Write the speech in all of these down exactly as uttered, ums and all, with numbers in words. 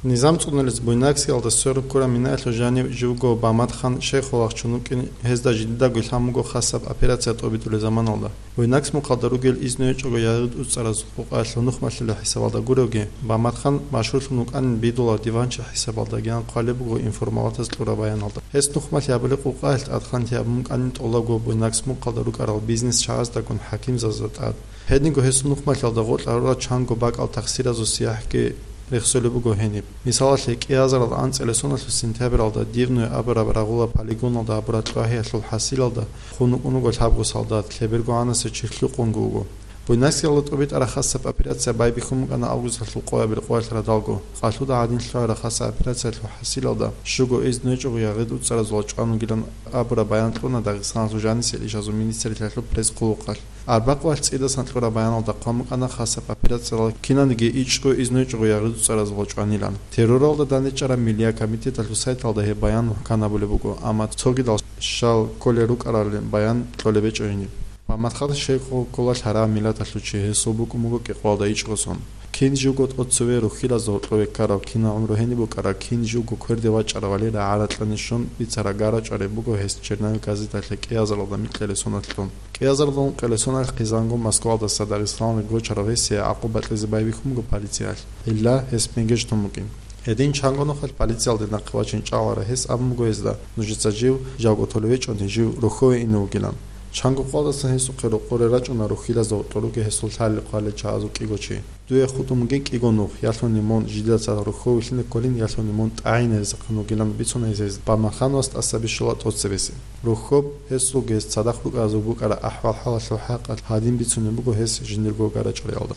Низам цӀунулез Буйнакскиялда сверун ккураб минаялъул жанив живго Баматхан Шейхуллагь чун вукӀин, гьезда жидедаго лъан буго хасаб операция тӀобитӀулел заманалда. Буйнакск мухъалда ругел изну гьечӀого ягъид уцӀцӀараз къукъаялъул нухмалъила хӀисабалда гуревги, Баматхан машгьурлъун вукӀанин бидулав диванчи хӀисабалдагиян хъвалеб буго информалатаз кьураб баяналда. Гьес нухмалъи гьабулеб къукъаялъ тӀадхъан тӀибитӀун букӀанин тӀолабго Буйнакск мухъалда рукӀарал бизнес чагӀаздагун хӀакимзабазда тӀад. Гьединго гьесул нухмалъиялда гъоркьарурал чанго бакӀал тахсиразул сияхӀги рехсолеб буго гьениб. Мисалалъе, кӀиазарал анцӀила соналъул сентябралда Дивное абураб рагъула полигоналда гьабураб кьвагьиялъул хӀасилалда хун вукӀун вуго лъабго солдат, лъеберго гӀанасев чи хӀукъунги вуго. Буйнакскиялда тӀубитӀараб хасаб операция байбихьун букӀана августалъул къоябил къоялъ радалго. Къалъуда гӀадин лъугӀараб хасаб операциялъул хӀасилалда щуго изну гьечӀого ягъид уцӀцӀаразул чӀван вугилан абураб баян кьуна Дагъистаналъул жанисел ишазул министралъул пресс-хъулухъалъ. Арбакъвалъ цӀидасан кьураб баяналда хъван букӀана хасаб операциялда кинаниги ичӀго изну гьечӀого ягъид уцӀцӀаразул чӀванилан. Терроралда дандечӀараб миллияб комитеталъул сайталда гьеб баян мухӀкан гьабулеб буго, амма цогидал щал кколел рукӀаралин баян кьолеб гьечӀо гьениб. Баматхан Шейхуллагь гьараб миллаталъул чи, гьесул букӀун буго кӀикъоялда ичӀго сон. Кин живго тӀоцеве рухьилазда гьоркьове ккарав, кинаб гӀумру гьениб букӀараб, кин живго кверде вачӀарав валера гӀаракьани щун бицараб гара чӀвареб буго гьес Черновик газеталъе кӀиазаралда микьилел соналъ кьун. КӀиазаралда ункъилел соналъ хъизангун Москваялдаса Дагъистаналде гочарав гьесие гӀакъуба кьезе байбихьун буго полициялъ, гьелда гьес мегеж тун букӀин. Гьедин чанго нухалъ полициялде нахъе вачине чӀваларав гьес абун буго гьезда: «Нужеца жив, жавго толевечӀони, жив рохьове ине вугилан». Чанго къоялдасан гьесухъе рокъоре рачӀуна рухьилазда гьоркьор ругел гьесул лъалел-хъвалел чагӀазул кӀиго чи. «Дуе хутӀун бугин кӀиго нух, ялъуни мун жидеда цадахъ рохьове вилълъине кколин, ялъуни мун тӀагӀине рехсехъин вугилан», – бицуна гьез, гьез Баматханасда тӀаса бищула тӀоцебесеб. Рохьоб гьесулги гьес цадахъ рукӀаразул букӀараб ахӀвал-хӀалалъул хӀакъалъ гьадин бицунеб буго гьес жиндирго гара чӀвариялда.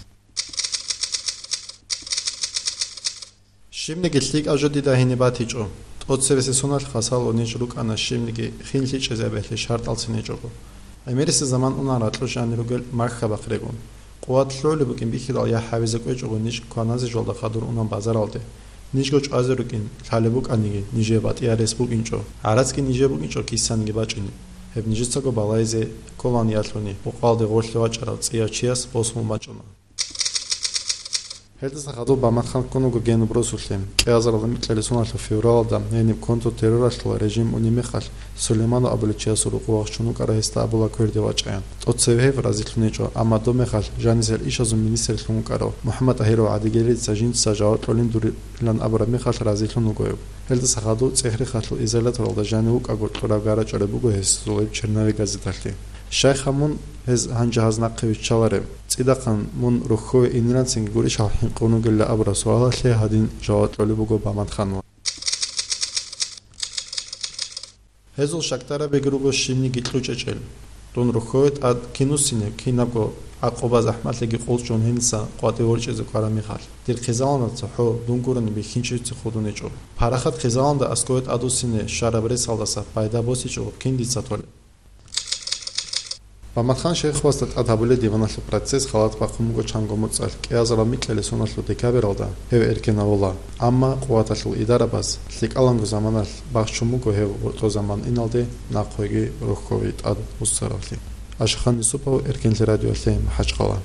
Щибниги лъикӀаб жо дида гьениб батичӀо. ТӀоцебесеб соналъ хасал унич рукӀана щибниги хин лъичӀезабиялъе шартӀалцин гьечӀого. ГӀемерисеб заман унан ракьулъ жанир ругел Макка бахърегун. Къуват лъугӀулеб букӀин бихьидал яхӀ гьабизе кӀвечӀого ниж кваназе жолда хадур унан базаралде. Нижго чӀвазе рукӀин, лъалеб букӀаниги, нижее батӀияб рес букӀинчӀо. ГӀарацги нижее букӀинчӀо кисаниги бачӀине. Гьеб нижецаго балагьизе кколаан ялъуни, къокъалде гъорлъе вачӀарав цӀияв чияс босун бачӀуна. Гьелдаса хадуб Баматхан ккун вуго гьениб росулъе. КӀиазаралда микьилел соналъул февралалда гьениб контртерроралъул режим унеб мехалъ, Сулейманов абулев чиясул рокъов вахчун вукӀарав гьесда абула кверде вачӀаян. ТӀоцеве гьев разилъун гьечӀо, амма доб мехалъ жанисел ишазул министрлъун вукӀарав МухӀаммад ТӀагьиров гӀадигелица жинца жаваб кьолин дурилан абураб мехалъ разилъун вуго гьев. Гьелдаса хадуб ЦӀехрихалъул изоляторалда жанив вукӀаго кьураб гара чӀвараб буго гьесул гьеб Черновик газеталъе. Щайха мун гьез гьанже гьаз нахъе виччалареб? ЦӀидахъан мун рохьове иниланцинги гурищ гьал хӀинкъун вугилан абураб суалалъе гьадин жаваб кьолеб буго Баматханас. Гьезул щакдарабиги руго щибниги кьучӀечӀел. Дун рохьове тӀад кин вуссине, кинабго гӀакъуба-захӀмалъиги къулчӀун гьениса къватӀив ворчӀизе ккараб мехалъ. Дир хъизаналда цохӀо дун гурони бихьинчица худун гьечӀо. Парахат хъизаналда аскове тӀад вуссине щвараб ресалдаса пайда босичӀого кин дица толеб? Баматхан шейхасда тӀад гьабулеб диваналъул процесс халат бахъун буго чанго моцӀалъ, кӀиазарал микьилел соналъул декабралда гьев эркенавула, амма къуваталъул идарабаз лъикӀаланго заманалъ бахчун буго гьев гьоркьор заман иналде нахъеги рохьове тӀад вуссаравлъи. Ашихан Юсупов, Эркенлъи радиолъе, МахӀачхъала.